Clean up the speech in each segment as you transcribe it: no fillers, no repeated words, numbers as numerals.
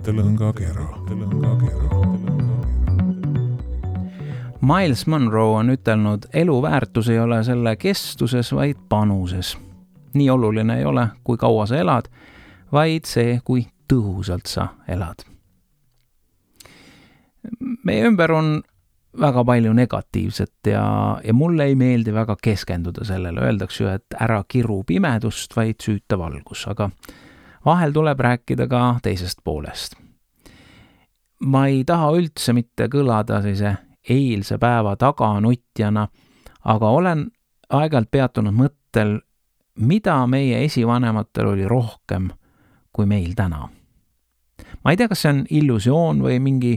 mõttelõngakera. Miles Monroe on ütelnud, elu väärtus ei ole selle kestuses, vaid panuses. Nii oluline ei ole, kui kaua sa elad, vaid see, kui tõhusalt sa elad. Meie ümber on väga palju negatiivset ja mulle ei meeldi väga keskenduda sellele. Öeldakse ju, et ära kiru pimedust, vaid süüta valgus, aga vahel tuleb rääkida ka teisest poolest. Ma ei taha üldse mitte kõlada sellise eilse päeva taganutjana, aga olen aeg-ajalt peatunud mõttel, mida meie esivanematel oli rohkem kui meil täna. Ma ei tea, kas see on illusioon või mingi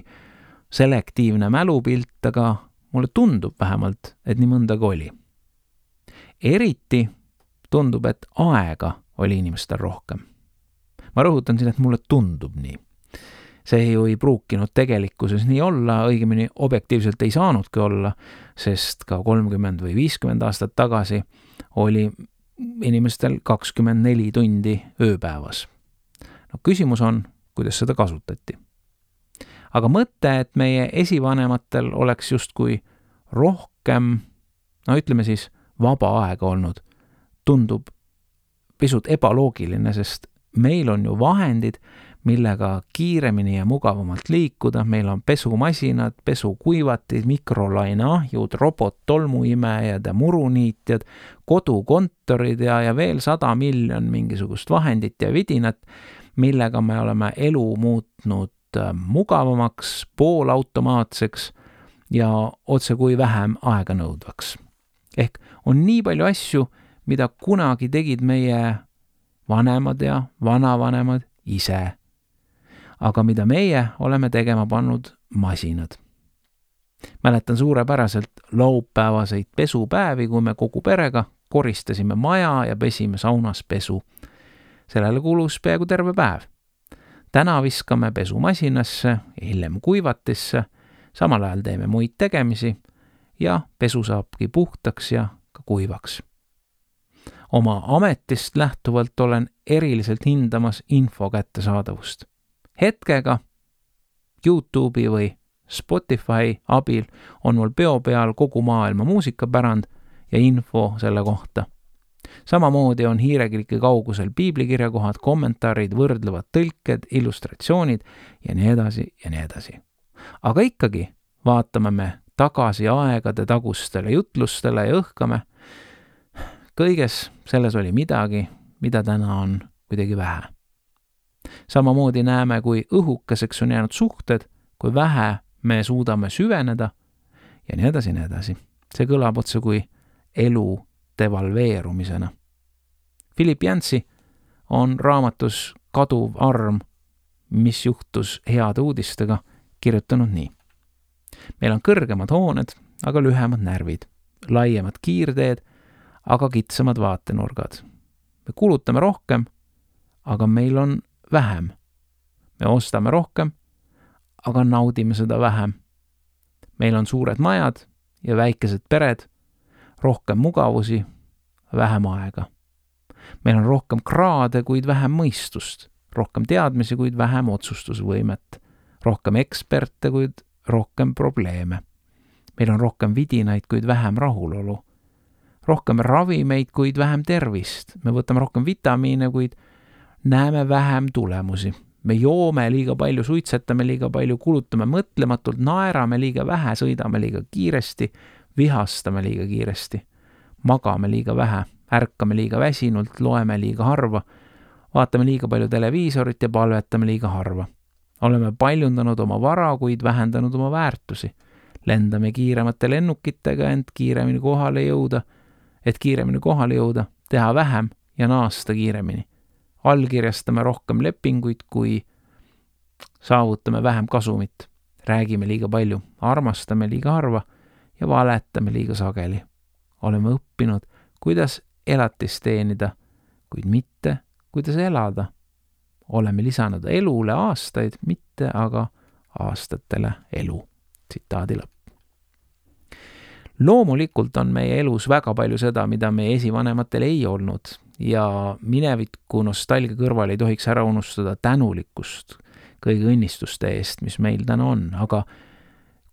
selektiivne mälupilt, aga mulle tundub vähemalt, et nii mõndagi oli. Eriti tundub, et aega oli inimestel rohkem. Ma rõhutan siin, et mulle tundub nii. See ju ei pruukinud tegelikkuses nii olla, õigemini objektiivselt ei saanudki olla, sest ka 30 või 50 aastat tagasi oli inimestel 24 tundi ööpäevas. No, küsimus on, kuidas seda kasutati. Aga mõte, et meie esivanematel oleks justkui rohkem, ütleme siis, vaba aega olnud, tundub pisut ebaloogiline, sest meil on ju vahendid, millega kiiremini ja mugavamalt liikuda. Meil on pesumasinad, pesukuivatid, mikrolaineahjud, robot-tolmuimejad ja muruniitjad, kodukontorid ja veel 100 miljon mingisugust vahendit ja vidinat, millega me oleme elu muutnud mugavamaks, poolautomaatseks ja otse kui vähem aega nõudvaks. Ehk on nii palju asju, mida kunagi tegid meie vanemad ja vanavanemad ise, aga mida meie oleme tegema pannud masinad. Mäletan suurepäraselt laupäevaseid pesupäevi, kui me kogu perega koristasime maja ja pesime saunas pesu. Sellele kulus peaaegu terve päev. Täna viskame pesumasinasse, hiljem kuivatisse, samal ajal teeme muid tegemisi ja pesu saabki puhtaks ja ka kuivaks. Oma ametist lähtuvalt olen eriliselt hindamas info kättesaadavust. Hetkega YouTube'i või Spotify abil on mul peo peal kogu maailma muusikapärand ja info selle kohta. Samamoodi on hiirekliki kaugusel piiblikirjakohad, kommentaarid, võrdlevad tõlked, illustratsioonid ja nii edasi ja nii edasi. Aga ikkagi vaatame me tagasi aegade tagustele jutlustele ja õhkame. Kõiges selles oli midagi, mida täna on kuidagi vähe. Samamoodi näeme, kui õhukeseks on jäänud suhted, kui vähe me suudame süveneda ja nii edasi ja nii edasi. See kõlab otse kui elu devalveerumisena. Philip Yancey on raamatus Kaduv arm, mis juhtus heade uudistega, kirjutanud nii. Meil on kõrgemad hooned, aga lühemad närvid, laiemad kiirteed, aga kitsamad vaatenurgad. Me kulutame rohkem, aga meil on vähem. Me ostame rohkem, aga naudime seda vähem. Meil on suured majad ja väikesed pered, rohkem mugavusi, vähem aega. Meil on rohkem kraade, kuid vähem mõistust, rohkem teadmisi, kuid vähem otsustusvõimet, rohkem eksperte, kuid rohkem probleeme. Meil on rohkem vidinaid, kuid vähem rahulolu, rohkem ravimeid, kuid vähem tervist. Me võtame rohkem vitamiine, kuid näeme vähem tulemusi. Me joome liiga palju, suitsetame liiga palju, kulutame mõtlematult, naerame liiga vähe, sõidame liiga kiiresti, vihastame liiga kiiresti, magame liiga vähe, ärkame liiga väsinult, loeme liiga harva, vaatame liiga palju televiisorit ja palvetame liiga harva. Oleme paljundanud oma vara, kuid vähendanud oma väärtusi. Lendame kiiremate lennukitega, et kiiremini kohale jõuda, teha vähem ja naasta kiiremini. Allkirjastame rohkem lepinguid, kui saavutame vähem kasumit. Räägime liiga palju, armastame liiga harva ja valetame liiga sageli. Oleme õppinud, kuidas elatist teenida, kuid mitte, kuidas elada. Oleme lisanud elule aastaid, mitte aga aastatele elu. Tsitaadi lõpp. Loomulikult on meie elus väga palju seda, mida meie esivanematel ei olnud ja mineviku nostalgia kõrval ei tohiks ära unustada tänulikkust kõigi õnnistuste eest, mis meil täna on, aga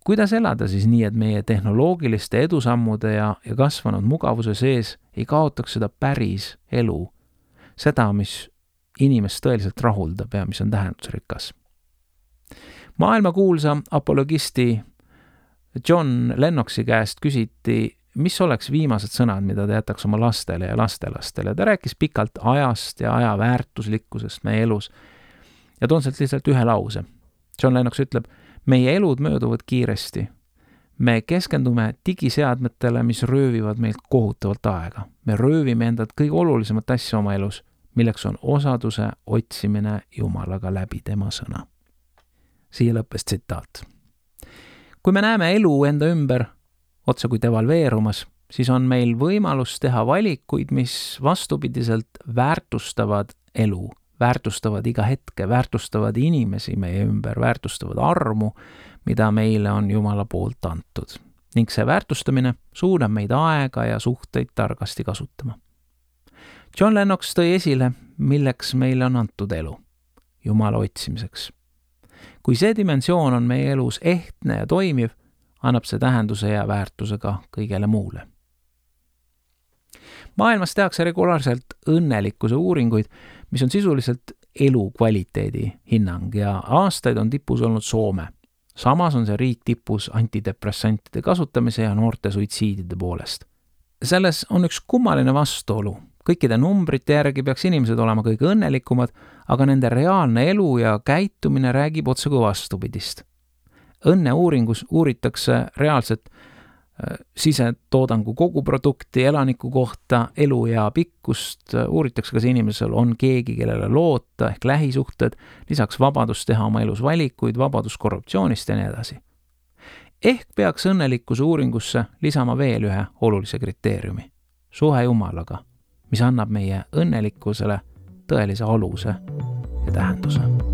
kuidas elada siis nii, et meie tehnoloogiliste edusammude ja kasvanud mugavuse sees ei kaotaks seda päris elu, seda, mis inimest tõeliselt rahuldab ja mis on tähendusrikas. Maailmakuulsa apologisti John Lennoxi käest küsiti, mis oleks viimased sõnad, mida ta jätaks oma lastele ja lastelastele. Ta rääkis pikalt ajast ja aja väärtuslikkusest meie elus ja toon sealt lihtsalt ühe lause. John Lennox ütleb, meie elud mööduvad kiiresti. Me keskendume digiseadmetele, mis röövivad meilt kohutavalt aega. Me röövime endalt kõige olulisemat asja oma elus, milleks on osaduse otsimine Jumalaga läbi tema sõna. Siia lõppes tsitaat. Kui me näeme elu enda ümber, otse kui devalveerumas, siis on meil võimalus teha valikuid, mis vastupidiselt väärtustavad elu, väärtustavad iga hetke, väärtustavad inimesi meie ümber, väärtustavad armu, mida meile on Jumala poolt antud. Ning see väärtustamine suunab meid aega ja suhteid targasti kasutama. John Lennox tõi esile, milleks meile on antud elu, Jumala otsimiseks. Kui see dimensioon on meie elus ehtne ja toimiv, annab see tähenduse ja väärtuse ka kõigele muule. Maailmas tehakse regulaarselt õnnelikkuse uuringuid, mis on sisuliselt elukvaliteedi hinnang ja aastaid on tipus olnud Soome. Samas on see riik tipus antidepressantide kasutamise ja noorte suitsiidide poolest. Selles on üks kummaline vastuolu. Kõikide numbrite järgi peaks inimesed olema kõige õnnelikumad, aga nende reaalne elu ja käitumine räägib otse kui vastupidist. Õnneuuringus uuritakse reaalset sisetoodangu koguprodukti elaniku kohta, elu ja pikkust, uuritakse, kas inimesel on keegi, kellele loota ehk lähisuhted, lisaks vabadus teha oma elus valikuid, vabadus korruptsioonist ja nii edasi. Ehk peaks õnnelikkuse uuringusse lisama veel ühe olulise kriteeriumi, suhe Jumalaga, mis annab meie õnnelikkusele tõelise aluse ja tähenduse.